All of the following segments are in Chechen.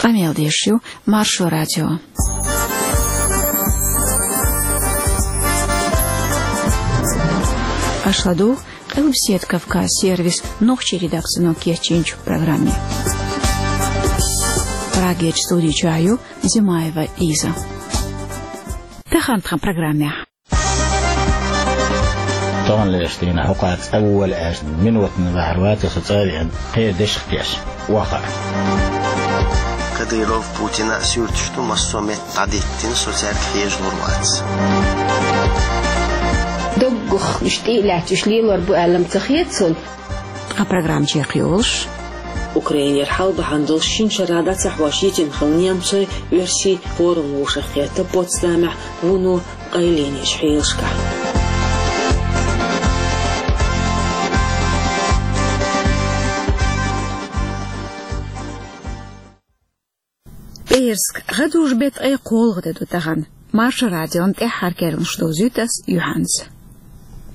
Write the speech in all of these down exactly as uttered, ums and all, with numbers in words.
Къамел деш ю Маршо радио. Аша ладугӀу Къилбаседа Кавказ сервисан нохчийн редакцино кечйинчу программе. Прагерчу студи чохь ю Зимаева Лиза. Тахана тхан программехь. Тахана леш дийна хӀокху цӀа ву вала аьлла, минотана бахьар вац со цӀа а веана, кхин дешах теш, охьа. Кадыров, Путина а суьрташ ду, массо а метта дӀадиттина, со цаьрга хьежалур вац. Доггах уьш тӀе а лаьцна, уьш лелор бу аьлла-м ца хета суна. Ткъа программа чекхйолуш. Украинера хьал бахьана долуш шина шарахь дӀа ца хьош йитина хилла немцойн, оьрсийн форум вовшахкхетта Потсдамехь вуно къайленечу хьелашкахь. ПӀераска, гӀадужу беттан ткъе кхоалгӀа де ду тахана. Маршо радион тӀаьххьара керланаш довзуьйту ас юьхьанца.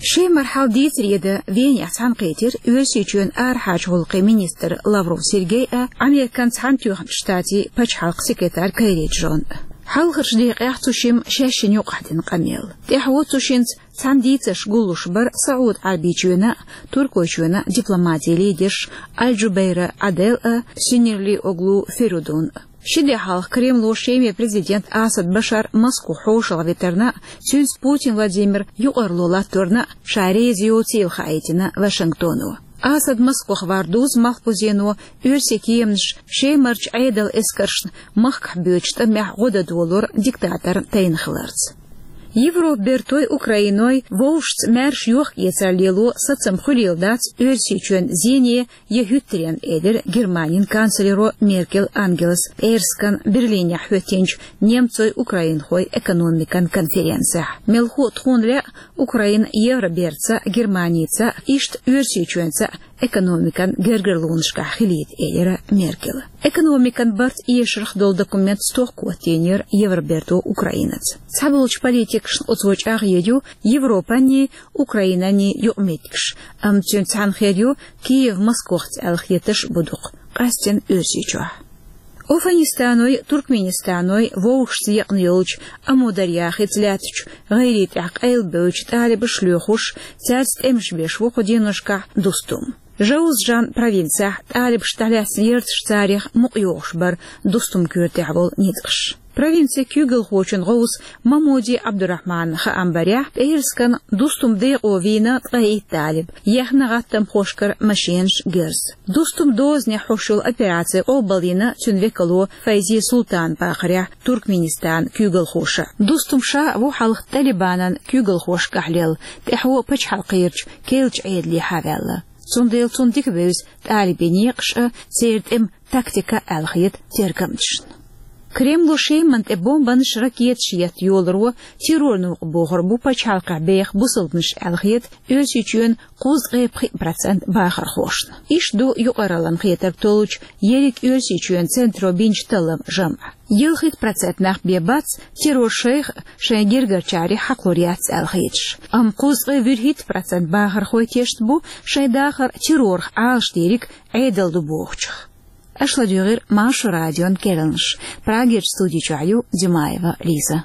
Шемара хьал дийцаре дан Венехь цхьаьнакхийтира Оьрсийчоьнан арахьарчу гӀуллакхийн министр Лавров Сергей а, Американ Цхьаьнатоьхначу Штатийн пачхьалкхан секретарь Керри Джон а. Хьалхарчу декъехь цу шимма шаьшшинна юкъахь дина къамел. ТӀаьхьо цу шинца цхьаьна дийцарш гуллуш бара СаӀуд-Ӏаьрбийчоьнан а, Туркойчоьнан а дипломатийн лидерш Аль-Джубейра Адель а, Синирли-Оглу Феридун а. Ши де хьалха Кремло Шеман президент Асад Башар Москвахь хьошалгӀа витарна а, цуьнца Путин Владимир юкъарло латторна а ша реза йоцийла хаийтина Вашингтоно. Асад Москвах вар дузу малхбузено оьрсийн кеманаш Шемарчу Ӏедалан эскаршна махкахь боьдучу тӀамехь гӀо дан долор диктаторна тайна хиларца. Европан бертой, Украиной вовшашца маьрша йохк-эцар лело сацам хуьлийла дац Оьрсийчоьнан зене я хӀуьттаренна, элира Германин канцлеро Меркель Ангелас пӀераскан Берлинехь хӀоьттинчу немцойн-украинхойн экономикан конференцехь. Мелхо а тхуна лаьа Украина Евробертаца а, Германица а, иштта Оьрсийчоьнца а экономикан гергарлонашкахь хилийта, элира Меркела. Экономикан барт эшарх долу документ стохка хӀоттийнера Евроберто Украинаца. Цхьаболчу политикашна оцо чӀагӀъян ю Европанний, Украинанний юкъаметтигаш, амма цуьнца цхьаьна хир ю Киев Москвахца аьлла хетарш а бу дукха, къаьсттина Оьрсийчохь. Афганистаной, Туркменистаной вовшашца екъна йолчу Амударья хица лаьттачу гӀайре тӀехь къайлабевллачу талибаша лоьхуш, цаьрца тӀемаш беш ву кху деношкахь Дустум. Жаузжан провинцехь талибашна тӀелаьцна ярташ царех мукъайогӀуш бара Дустум коьртехь болу ницкъаш. Провинцин куьйгалхочун гӀовса Мамуди Абдурахманан хаам барехь, пӀераскан Дустум декъо вийна ткъе итт талиб, ехна гӀаттамхошкара машенаш, герз. Дустум дозанехь хьош йолу операци къобалйина цуьнан векало Файзи Султанан бахарехь Туркменистанан куьйгалхоша. Дустум ша а ву хьалха Талибанан куьйгалхошкахь лелла, тӀаьхьо пачхьалкхерчу керлачу Ӏедалехьа ваьлла. Цундела цунна дика бевза талибийн некъаш а, церан тӀеман тактика а, аьлла хета тергамчашна. Кремло Шеман тӀе бомбанаш, ракеташ етта йоларо терроран новкъа бохур бу пачхьалкхехь беха бусалбанаш, аьлла хета Оьрсийчоьнан кхузткъе пхиъ процент бахархошна. Иштта ду юкъараллин хетарг толлучу ерриг Оьрсийчоьнан центро бинчу талламан жамӀ. Ялхитта процент нах бен бац террор шайх а, шайн гергарчарех а хьакхалур яц аьлла хеташ. Амма кхузткъе вуьрхӀитта процент бахархой тешна бу шайн дахар террорах Ӏалашдийриг Ӏедал ду бохучух. Аша ладуьйгӀира Маршо радион керланаш. Прагерчу студи чохь ю Димаева Лиза.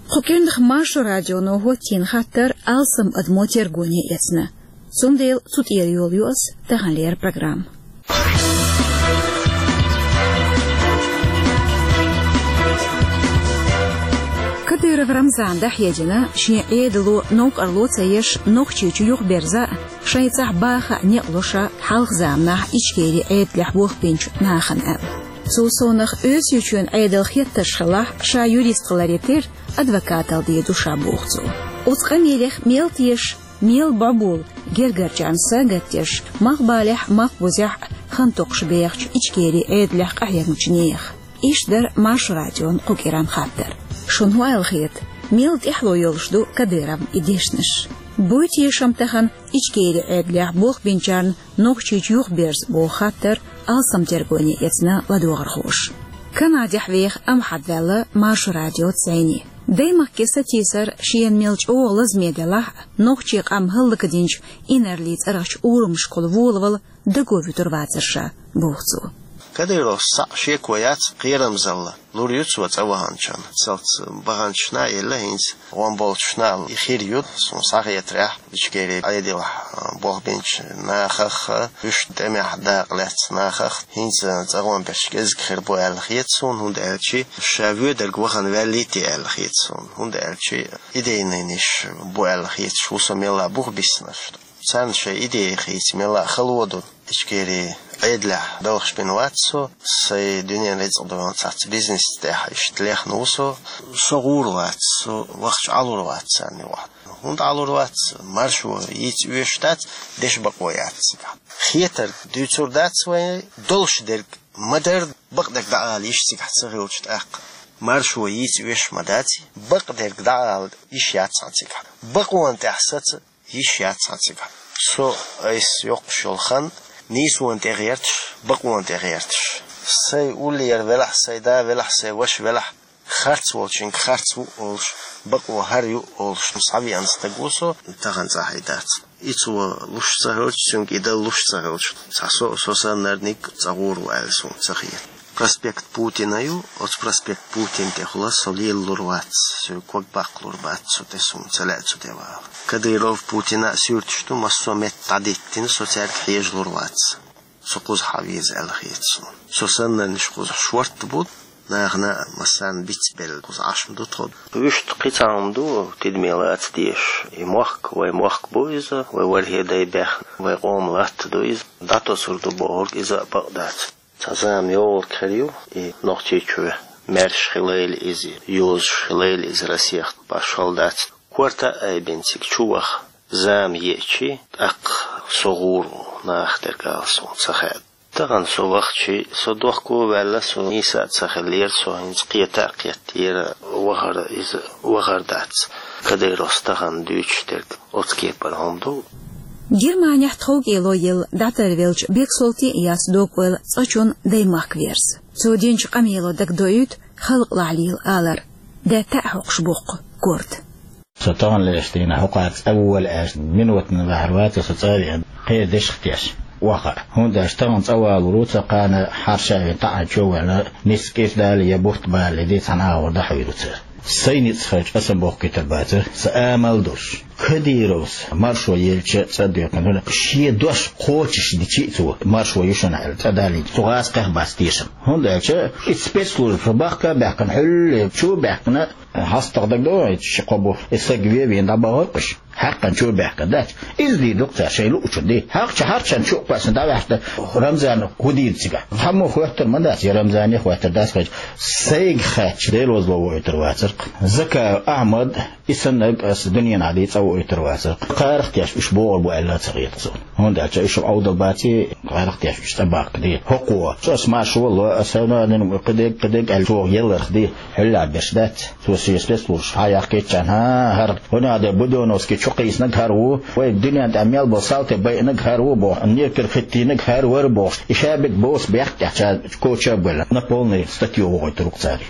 Кху кӀирнах Маршо радионо хӀоттийна хаттар алсам адамо тергоне эцна. Цундела цу тӀера йолу ю ас таханлера программа. Кадыров Рамзана дӀахьедина, шен Ӏедало новкъарло ца еш, Нохчийчу юхаберза а, шайн цӀахь баха а некъ ло ша хьалха заманахь Ичкери Ӏедалехь болх бинчу нахана аьлла. Цул совнах, Оьрсийчоьнан Ӏедалан хеттарш хилахь, ша юрист хиларе терра, адвокаталла дийр ду ша, боху цо. Оцу къамелех мел теша, мел бӀобула гергарчарна сагатдеш, малхбалехь а, малхбузехь а хан токхуш бехачу Ичкери Ӏедалехь къахьегначу нехан? Иштта дара Маршо радион кху кӀиран хаттар. Шуна хӀун аьлла хета, мел тӀаьхьало йолуш ду Кадыровн и дешнаш? Буй тешам тахана Ичкери Ӏедалехь болх бинчарна Нохчийчу юхаберза, боху хаттар алсам тергоне эцна ладогӀархоша. Канадехь веха Амхьад ваьлла Маршо радиоца зӀене. Даймахке сатийсар шена мел чӀогӀа лазаме делахь а, нохчийн къам хӀаллакдинчу инарлин цӀарахчу урамашкахула волавала даго вуьтур вацара ша, боху цо. Кадыровс цхьаъ шеко яц, кхерамзалла лур ю цо цӀа ваханчунна. Цалц баханчашна а елла, хӀинца гӀон болчашна а и хир ю, суна схьахетарехь, Ичкерин Ӏедалехь болх бинчу нахах а, уьш тӀемехь дакъа лаьцна нахах а, хӀинца цӀа гӀон берш кӀезиг хир бу аьлла хета суна, хӀунда аьлча ша воьдург вахана ваьллий те аьлла хета суна, хӀунда аьлча идейнаш бу аьлла хеташ ву со, мелла а бух биснарш. Царна шайн идея хийца мелла а хало ду. Ичкерин Ӏедалехь балхаш бина вац со, сайн дуьненан рицкъ долу цхьацца бизнес тӀехь иштта лехна ву со. Со гӀур вац, со вахча Ӏалур вац царна юкъахь. ХӀунда Ӏалур вац? Маршо йийца оьшуш дац, дешан бакъо яц цигахь. Хетарг дуьйцур дац вайн, долуш дерг ма-дарра, бакъдерг дӀаала йиш цигахь ца хилча тӀаккха. Маршо йийца оьшуш ма дац, бакъдерг дӀаала йиш яц хьан цигахь. Бакъонан тӀехь саца йиш яц хьан цигахь. Со айса йоккхуш йолу хан нийсонан тӀе гӀерташ, бакъонан тӀе гӀерташ. Сайн уллера велахь, сайн да велахь, сайн ваша велахь, харц волчуьнга харц ву олуш, бакъо хӀара ю олуш схьавеана стаг ву со, тахана цӀахь и дац. И цо луш ца хилча, цуьнга и дала луш ца хилча, цхьа со, со саннарниг цӀа гӀур ву аьлла суна ца хета. Проспект Путина ю, оцу проспект Путина тӀехула со лелалур вац, соьга ког баккхалур бац цу тӀе, суна ца лаьа цу тӀе вала. Кадыров, Путина а суьрташ ду, массо а метта дӀадиттина, со цаьрга хьежалур вац. Со кхузахь веза аьлла хета суна. Со саннарнаш кхузахь шортта бу, нахана а массарна бицбелла кхуза Ӏаш ма ду тхо. Вуьшта кхин цхьа хӀума ду, тидаме лаца дезаш. И мохк, вай мохк бу иза, вай ворхӀе дай баьхна, вай къоман латта ду иза. ДӀатосур ду бохург иза а бакъ дац. Цхьа зама йогӀург хир ю, и Нохчийчоь маьрша хилийла иза, йозуш хилийла иза Россех, башхалла дац. Корта а айбина цига чу ваха, зама еачи, тӀаккха со гӀур ву, нахах дерг ала суна ца хаьа. Тахана со вахчи, со дохко а ваьлла, со нийса а ца хиллера, со хӀинца кхета а кхеттера, вахар иза вахар дац. Кадыровс тахана дуьйцуш дерг оцу кепара хӀума ду. Германехь тховкӀело елла дӀатарвеллачу Бексолтин Ильяс дог-ойла цкъачунна даймахка верза. Цо динчу къамело дагадоуьйту халкъалахь лела алар, даьтта а хьокхуш боккху корта. Со тахана леш дийна хӀокхара цӀа вола аьлча, минотана ваьхьар вац со цӀа а веана, кхин дешах теш ваха. ХӀунда аьлча тахана цӀа валур ву, ца кхана хьарша а вина, таӀийна чу а ваьлла, ницкъ кӀира дале я бутт балале, дийца хьан агӀор дӀахьуьйру цара. Сайн ницкъ хилча, аса бохкуьйтур бацара, сан амал а долуш. Кадыровс маршо елча цӀа доькхина, шен дош кхочуш дичи а цо, маршо ю шуна аьлла, цӀа далийна, цу гӀазкхех бац тешам. ХӀунда аьлча и спецслужба бахка а баьхкина, хьуьлле чу а баьхкина, хьастагӀа дагадогӀу, и ши-кхо бу, и саг вен а вийна дӀабахара уьш. Хьаькхна чу а баьхкина дац. Иза дийр ду-кх цара шайн луучун де. ХьагӀ чу хьарчарна чу а кхоьссина дӀаваьхьна, Рамзана хӀун дийр цигахь? Цхьаммо хоьттур ма дац, я Рамзане хоьттур дац хилча. Сайга хаьттича, Делозло воуьйтур вацара-кх. Закаев Ахьмад, и саннарг аса дуьненахь дийца цӀа воуьйтур вацара-кх. Кхарах теш уьш богӀур бу аьлла а ца хета суна. ХӀунда аьлча уьш Ӏовдал баций, кхарах теш уьш цӀа бахка де. ХӀокхо, цо аса маршо валло, аса нанин кхидерг, кхидерг аьлла чӀогӀа елларх де, хьуьллахь берш дац. Цо шен спецслужбаш хьаяьккхиччарна, хӀан, хӀара, хӀунда аьлча Будённовский чукхийсинарг хӀара ву, вай дуьнен тӀехь мел болу салти байинарг хӀара ву бохуш, некер хӀиттийнарг хӀара вара бохуш, и шаберг боцу бехк тӀехь ша коча а бевлла, на полный статью вохуьйтур ву-кх цара.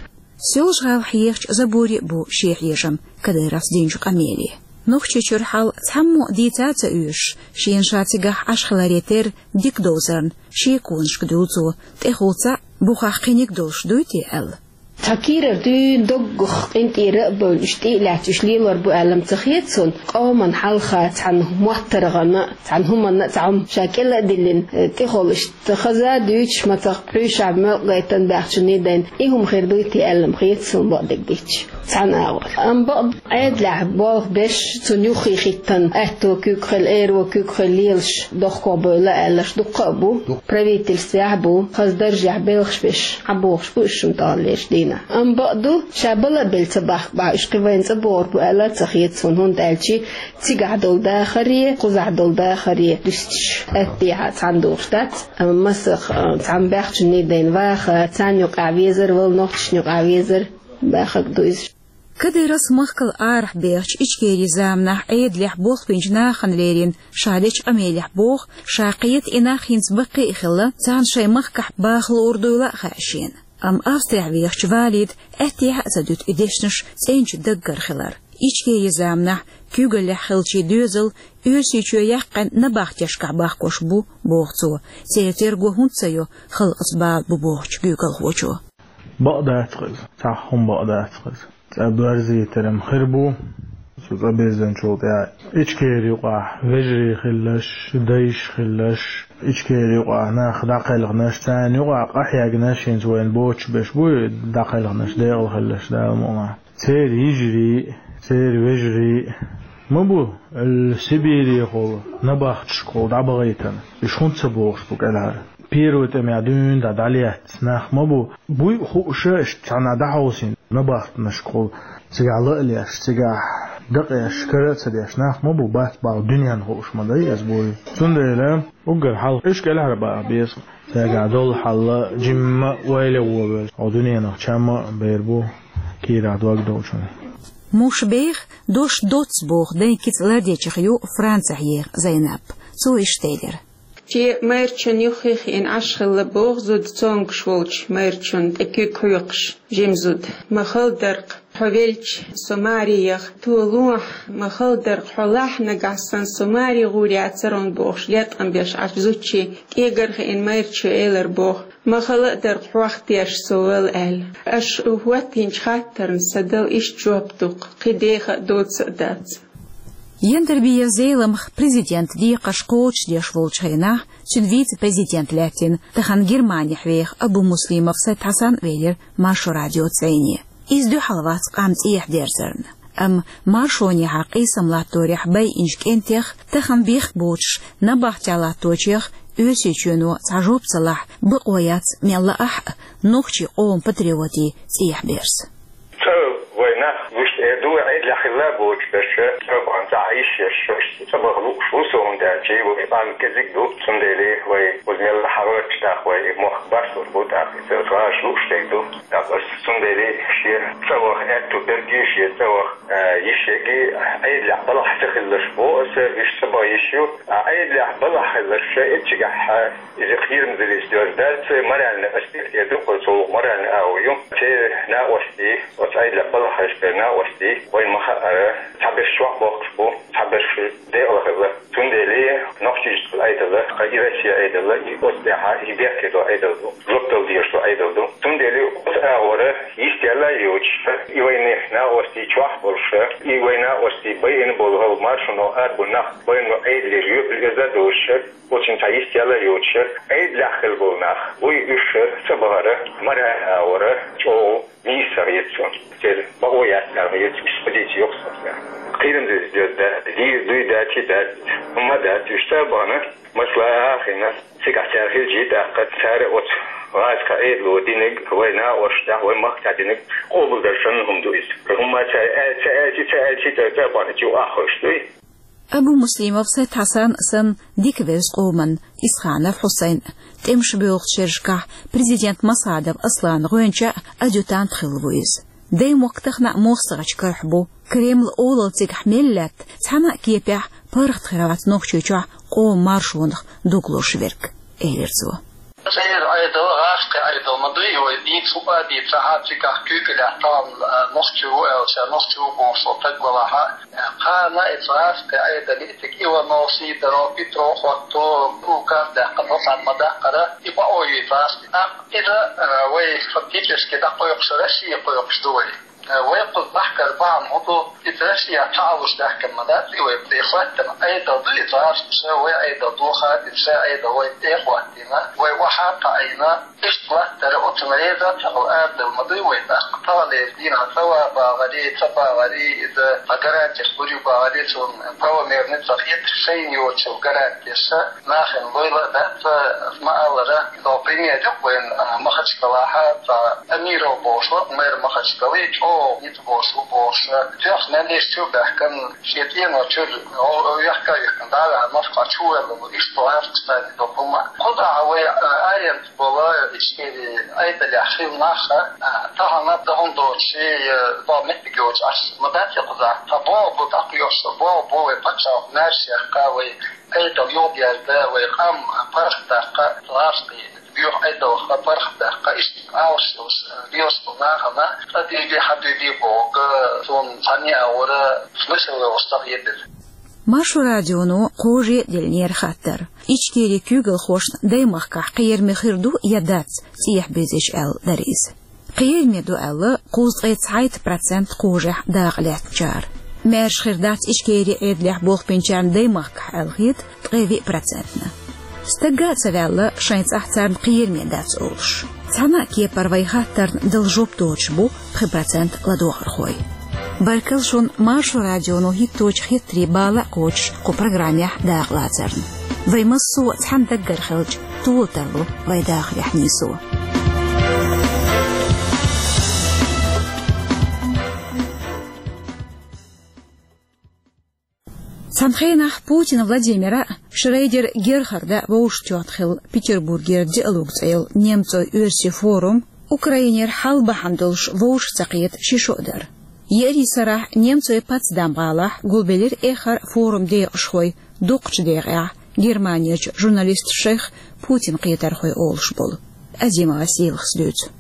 Соьлжа-ГӀалахь ехачу заборе а бу шен хьежам Кадыровс динчу къамеле. Нохчийчуьра хьал цхьаммо а дийца а ца оьшуш, шена ша цигахь Ӏаш хиларе терра дика довзарна, шеконашка дуьллу цо, тӀехула цхьаъ, бухахь кхиниг долуш дуй те аьлла. Цхьа кийрара дуьйна доггах къинтӀера а бевлла, уьш тӀе а лаьцна, уьш лелор бу аьлла-м ца хета суна, къоман хьалха цхьана моттаргӀана а, цхьана хӀуманна а цхьа хӀума ша кӀела а диллина, тӀехула иштта хаза а дуьйцуш, мацах пхьуьйшахь мелкъа гайтина баьхчунний дайна, и хӀума хир дуй те аьлла-м хета суна, бакъдерг дийцича, цхьана агӀор. Амма бакъ Ӏедалехь болх беш, цунна юххе хӀиттина, аьтто куьг хила, эро куьг хила лелаш, дохко бевлла аьлларш дуккха а бу. Правительствехь а бу, хаза даржехь белхаш беш, хьабохуш бу уьш шуна таханлерчу дийнахь. Амма бакъ ду, ша бала а белла ца бахка бахь, уьш кхин вайна цӀа богӀур бу аьлла а ца хета суна, хӀунда аьлча цигахь долу дахаре, кхузахь долу дахаре дуьстича, атта дехьа цхьаьна духуш дац, амма масех, а, цхьана баьхчунний дайна ваха, царна юкъахь везар, вала нохчашна юкъахь везар, баьхнарг ду иза. Кадыровс махкал арахь бехачу Ичкерин заманахь Ӏедалехь болх бинчу нахана лерина ша дечу къамелехь боху, ша кхета и нах хӀинца баккхий а хилла, царна шайн махкахь баха луур дуйла а хаьа шена. Амма Австрехь вехачу Валида аьттехьа а ца дуьту и дешнаш цӀеначу даггара хилар. Ичкерин заманахь куьйгаллехь хиллачийн доьзал Оьрсийчоь яьккхина набахтешкахь бахкош бу, боху цо. Церан терго хӀунда ца йо халкъаца бала бу бохучу куьйгалхочо? Бакъ дац-кх иза, цхьа хӀума бакъ дац-кх иза. ЦӀа боьрзийтар-м хир бу. Цу цӀа бирзинчул тӀаьхьа Ичкерин юкъахь вежарий хилларш, дайш хилларш, Ичкерин юкъахь нах дӀакхелхинарш, царна юкъахь къахьегнарш, хӀинца вайна боцуш берш бу дӀакхелхинарш, декъала хилларш, Дала мукъ лахь. Церан йижарий, церан вежарий ма бу, Сибирехула, набахташкахула дӀабахийтина. Уьш хӀунда ца бохуш бу кӀелхьара? Первый тӀамехь дуьйна дӀа дӀалецна нах ма бу. Буй а хууш, иштта цхьана дӀахьовсийна набахтанашкахула, цигахь ла а леш, цигахь дакъеш, кара а ца деш нах ма бу, бац бахьа дуьненна хууш ма дай иза буй. Цундела уггар хьалха уьш кӀелхьара баха беза. Цигахь долу хьал жимма а ойла а вовш, хьо дуьненах чам а бер бу кийрахь дог долчунна. Муш беха дош доцца боху дайн кица лардечех ю Францехь еха Зайнап. Цо иштта элира. Шен майрачун юххе хиъна Ӏаш хилла боху зуда цомгуш волчу майрачунна тӀе куьг хьоькхуш, жима зуда. Ма хала дара-кх, хьо велча, со маре яха, тхо лохьа, ма хала дара-кх, хьо лахь, нагахь санна со маре гӀур яцара хьуна бохуш, леткъам беш Ӏаш зудчийн кӀегар хиъна майрачо элира боху. Ма хала а дара-кх, хьох теш со вала аьлла. Аша хӀоттийначу хаттарна сан дала иштта жоп ду-кх, кхин деха а, доцца а дац. Яндарбиев Зеламха президентан декхарш кхочушдеш волчу хенахь, цуьнан вице-президент лаьттина, тахана Германехь веха Абумуслимов Сайд-Хьасан велира Маршо радиоца зӀене. Иза дуьхьал вац къам цӀехьа дерзарна. Амма маршонехьа къийсам латторехь байинчу кӀентех, тахана бехк боцуш набахтехь латточех Оьрсийчоьно цхьа жоп ца лахь, бакъо яц мел лаахь а, нохчийн къоман патриотийн цӀехьаберза. ЦӀа вай нах вуьшта эр ду, Ӏедалехь хилла боцуш берш, цӀа бахана цхьа йиш еш, цӀа баха лууш ву со, хӀунда аьлча вай къам кӀезиг ду, цундела вай уза мелла хьагӀоьрташ тӀаккха вай и мохк барсур бу тӀаккха, иза гӀаш лууш дерг ду. ТӀаккха аса цундела шен цӀа ваха аьтту берг ю, шен цӀа ваха, а, йиш ерг, Ӏедалехь балхахь ца хиларш боху аса, уьш цӀа баха йиш ю. А Ӏедалехь балхахь хиларш эццигахь, а, иза кхерамзаллица доьзна дац, моральный аспект эр ду-кх цо, моральный агӀо ю. Церан накъостий, оцу Ӏедалехь балхахь хилла берш накъостий, вайна ма-хаъара, цхьаберш чохь бохкуш бу, цхьаберш декъала хилла. Цундела Нохчийчоьнан Ӏедал, кхин и Россин Ӏедал, и оцу тӀехь и бехке долу Ӏедал ду, жоп дала дезаш долу Ӏедал ду. Цундела оцу агӀор йистехь а йоцуш, и вайна накъостий чохь а болуш, и вайна накъостий байина болу хӀара маршоно арабевлла нах, вайна Ӏедалера жоьпалла эзар а долуш, оцунна цхьа йистехь а йоцуш, Ӏедалехь хилла болу нах, вуй уьш цӀа бахара, моральный агӀор чӀогӀа нийса хета суна. Церан бакъо яц аьлла хета, уьш позици йоккха ю суна. Кхерамзаллица доьзна дац, дийр дуй, дац, дац, хӀумма дац, уьш цӀа а бахана, масала а хиъна, цигахь цара хилча, тӀаккха цара оцу гӀазкхийн Ӏедало динарг, вай накъосташна тӀехь, вай махкахь динарг къобалдар санна хӀума ду иза. ХӀумма цара аьлла, ца аьлча, ца аьлча, цара цӀа а бахана, чу а хьоьжуш дуй. Абумуслимов Сайд-Хьасан санна дика вевза къоманна Исханов Хьусайн, тӀемаш боьлхучу шерашкахь президент Масхадов Асланан гӀоьнча а, адъютант а хилла ву иза. Даймохк тахана а мостагӀчу карахь бу. Кремлан олалла цигахь мел лаьтта, цхьана а кепехь паргӀат хир вац Нохчийчохь къоман маршонах дог лозуш верг, элира цо. Церан Ӏедал гӀазкхийн Ӏедал ма дуй, вай дийца хӀуъа а дийцахь, цигахь куьйгаллехь тахана, а, нохчи ву аьлча, нохчи ву бохуш волу стаг валахь а, кхана иза гӀазкхийн Ӏедал, и цига Иванов, Сидоров, Петров хӀотто, указ даьккхина, цхьаьна ма даккхара, и бакъо ю иза гӀазкхийн. Амма иза, а, вай фактически дӀакхойкхуш, Россия кхойкхуш ду вай. Вай кхуза бахкар бахьана хӀун ду, иза Россия цхьа а луш даьхкина ма дац, и вай тӀе хӀоьттина Ӏедал ду иза гӀазкхаша, вай Ӏедал ду хадийна, ша Ӏедал вай тӀе а хӀоттийна, вай охьа а кхаийна, иштта латтара оцунна реза а ца хилла арадала ма дуй вай тӀаккха. Таханлера дийнахь ца ван багӀарий, ца багӀарий, иза цхьа гарантеш лур ю багӀарий, цунна правомерный ца хеташ, шайна йоцучул гарантеша, нахана лойла а дац, ма-аллара, иза пример ю вайн, а, Махачкалахь, цхьа Амиров бохуш вара, мэр Махачкалы, чӀогӀа ницкъ болуш ву бохуш, тоьхна мел йиш чу а баьхкина, шен цӀено чуьра, о, о, вехка а вихкина, дӀа а ваьхьна, Москва чу а воьлла ву, иштта ву гӀазкхашна царна иза хӀума. Кхузахь вай, а, аренда болу Ичкерин Ӏедалехь хилла нах, а, тахана дан хӀума доцуш, э, боху меттиг йоцуш Ӏаш ма дац и кхузахь. Цхьа боху бу дӀакхоьхьуш, боху бу вай пачхьалкх маьрша яккха, вай Ӏедал юхадерза, вай къам паргӀатдаккха, гӀазкхийн Юха Ӏедалах паргӀатдаккха, иштта Ӏалашдалаш, доьзалхо нахана, къа дийди, хьа дийди боху, цунна цхьанне а вара, смысл йолуш ца хетира. Маршо радионо кхаже а деллера хаттар. Ичкерин куьйгалхошна даймахкахь кхераме хир ду я дац цӀехьа безаш аьлла дара иза. Кхераме ду аьлла, кхузткъе цхьайтта процент кхажехь дакъа лаьцначара. Маьрша хир дац Ичкерин Ӏедалехь болх бинчарна даймахкахь аьлла хета ткъе виъ процентна. Стагга а ца ваьлла, шайн цӀахь царна кхераме дац олуш. Цхьана а кепара вай хаттарна дала жоп доцуш бу пхи процент ладогӀархой. Баркалла шуна Маршо радионо хӀитточу хеттарийн бала а кхочуш кху программехь дакъалацарна. Вай массо а цхьана даггара хилча, тола тарло вай дахарехь нийсо. Цхьана хенахь Путин Владимира, Шрейдер Герхарда вовшахтоьхна хилла Петербургера диалог цӀе йолу немцойн-оьрсийн форум Украинера хьал бахьана долуш вовшах ца кхета ши шо а дара. Еарин сарахь немцойн Потсдам-гӀалахь гулбелира эххар форум декъашхой дукхачу декъехь Германерчу журналисташех Путин кхетархой олуш болу. Азимова Сийлахас дуьйцу.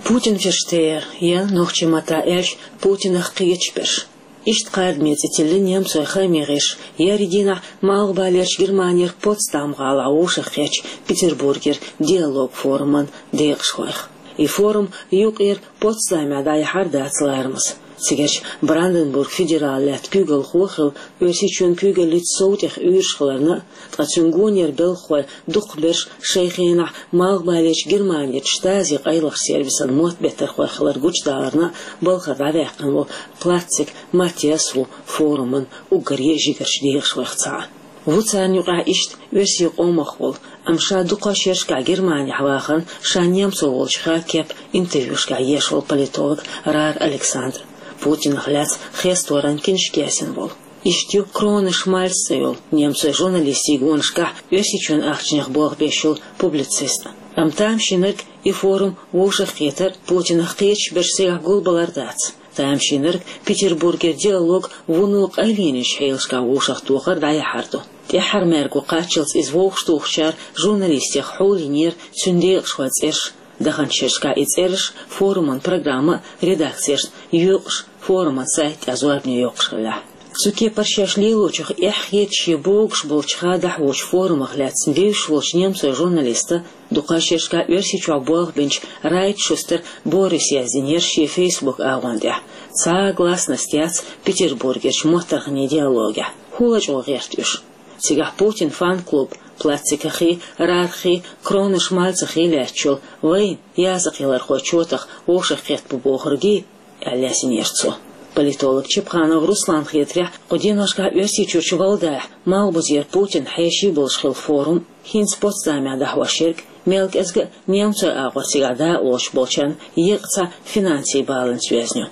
Путин Ферштейер, я нохчийн маттахь аьлча, Путинах кхеташ берш. Иштта кхардаме цӀе тиллина немцойн хааман гӀирсаша еарин дийнахь Малхбалерчу Германера Потсдам-гӀалахь вовшахкхеттачу Петербургера диалог форуман декъашхойх. И форум юкъера Потсдамехь дӀаяхьар дац ларамаза. Цигарчу Бранденбург федералан лаьтта куьйгалхо а хилла, Оьрсийчоьнан куьйгаллица сов тӀех уьйраш хиларна а, ткъа цуьнан гонера белхахой дукхахберш шайн хенахь Малхбалерчу Германерчу штази къайлахчу сервисан мотт беттархой хилар гучудаларна а балхара дӀаваьккхина волу Платцик Маттиас ву форуман уггаре а жигарчу декъашхойх цхьаъ. Ву царна юкъахь иштта оьрсийн къомах волу, амма ша дукха шерашкахь Германехь вахана, ша немцо волчу ха кеп интервьюшкахь еш волу политолог Раар Александр, Путинах лаьцна хесторан киншка яздина волу. Иштта ю Кроне Шмальц цӀе йолу немцойн журналистийн гонашкахь Оьрсийчоьнан ахчанех болх беш йолу публицист. Амма тамашийнарг и форум вовшахкхетар Путинах кхеташ берш цигахь гулбалар дац. Тамашийнарг Петербургера диалог вуно къайленечу хьелашкахь вовшахтохар дӀаяхьар ду. ТӀаьххьара маьрго кхаччалц иза вовшахтухучара журналистех хьулйинера цуьнан декъашхойн цӀераш. Даханчу шерашкахь и цӀераш форуман программан редакцешна йоькъуш, форуман сайта тӀехь зорбане йоккхуш хиллехь. Цу кепара шаьш лелочух эхь хеташ я богуш болчу ха дӀахьочу форумах лаьцна девзаш волчу немцойн журналиста, дукха шерашкахь Оьрсийчохь болх бинчу Райтшустер Бориса яздинера шен Facebook агӀон тӀехь: «Цхьа а гласность яц Петербургерчу моттарханийн диалогехь. ХӀун лачкъо гӀерта уьш?» Цигахь Путин фан-клуб Платцикахий, Раархий, Кроне Шмальцахий лаьтташ йолу «Вайн языкъ ялархой чотах вовшахкхетта бу» бохургий аьлла яздинера цо. Политолог Чепханов Русланна хетарехь, кху деношкахь Оьрсийчуьрчу Валдаахь Малхбузера Путинан хьеший болуш хилла форум, хӀинца Потсдамехь дӀахьош ерг, мел кӀезга а немцойн агӀор цигахь дакъалоцуш болчарна еккъа цхьа финансийн баланца йоьзна ю.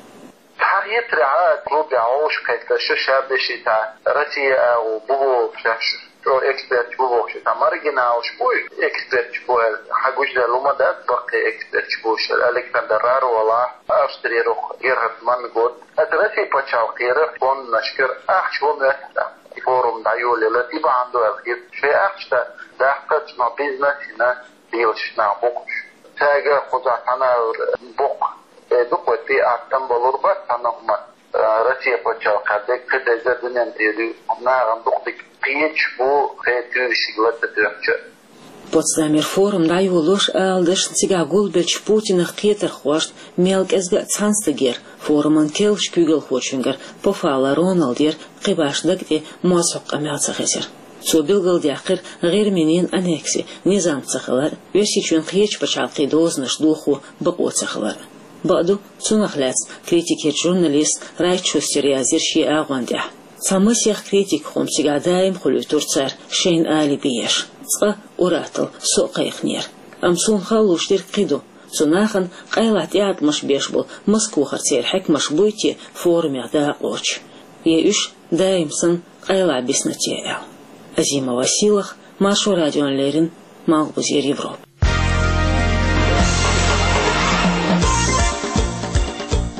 Цхьа хетарехь, клубехь вовшахкхетта ша-ша бешийтахь, Россия агӀо бу бохуш, ша-ша эксперташ бу бохуш, ша маргиналаш бу, эксперташ бу аьлла, хьан гучудаьлла хӀума дац, баккхий эксперташ бу шуьга, Александр Раар волахь, Австрера Герхард Манн гуд. Аса Россия пачхьалкхера фондашкара ахча хӀун моьтту, и форум дӀайолаялар, и бахьана ду аьлла хета. Шайн ахча даккхарца ма бизнес йина, белаш нах бу-кх уьш. Цаьрга кхузахь цхьана а боккха, э, дукха тӀе аттам балур бац цхьана хӀума, э, Россия пачхьалкхехь дерг кхидерг а дуьненна тӀера ю, нахана дукха дерг кхеташ бу, кхин туьйсиг ла ца тоьхча. Потсдамера форум дӀайолош ала дашна цигахь гулбеллачу Путинах кхетархошна мел кӀезга а цхьана стагера, форуман керлачу куьйгалхочуьнгара Пофалла Роналдера кхин башха даг тӀе моза хьокху къамел ца хезира. Цо билгалдаьккхира ГӀирминийн аннекси низам ца хилар, Оьрсийчоьнан кхечу пачхьалкхийн дозанаш дохо бакъо ца хилар. Бакъду, цунах лаьцна критикерчу журналиста Райтшустера яздира шен агӀон тӀехь: «Цхьа масех критикан хӀума цигахь даим хуьлуьйтура цара, шайна алиби еш. Цкъа ур-атталла со а кхайкхинера. Амма суна хала лууш дерг кхин ду: цу нахана къайлаха тӀеӀаткъамаш беш болу Москвахара церан хьаькамаш буй те форумех дакъалоцуш? Я уьш даим санна къайлаха бисна те?» — аьлла. Азимова Сийлаха, Маршо радиона леррина, Малхбузера Европа.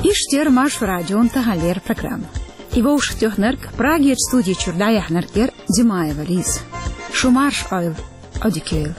Иштта яра Маршо радион таханлера программа. И вовшахтоьхнарг, Прагерчу студи чуьра дӀаяьхьнарг яра Димаева Лиза. Шу марша Ӏойла, Ӏодика йойла.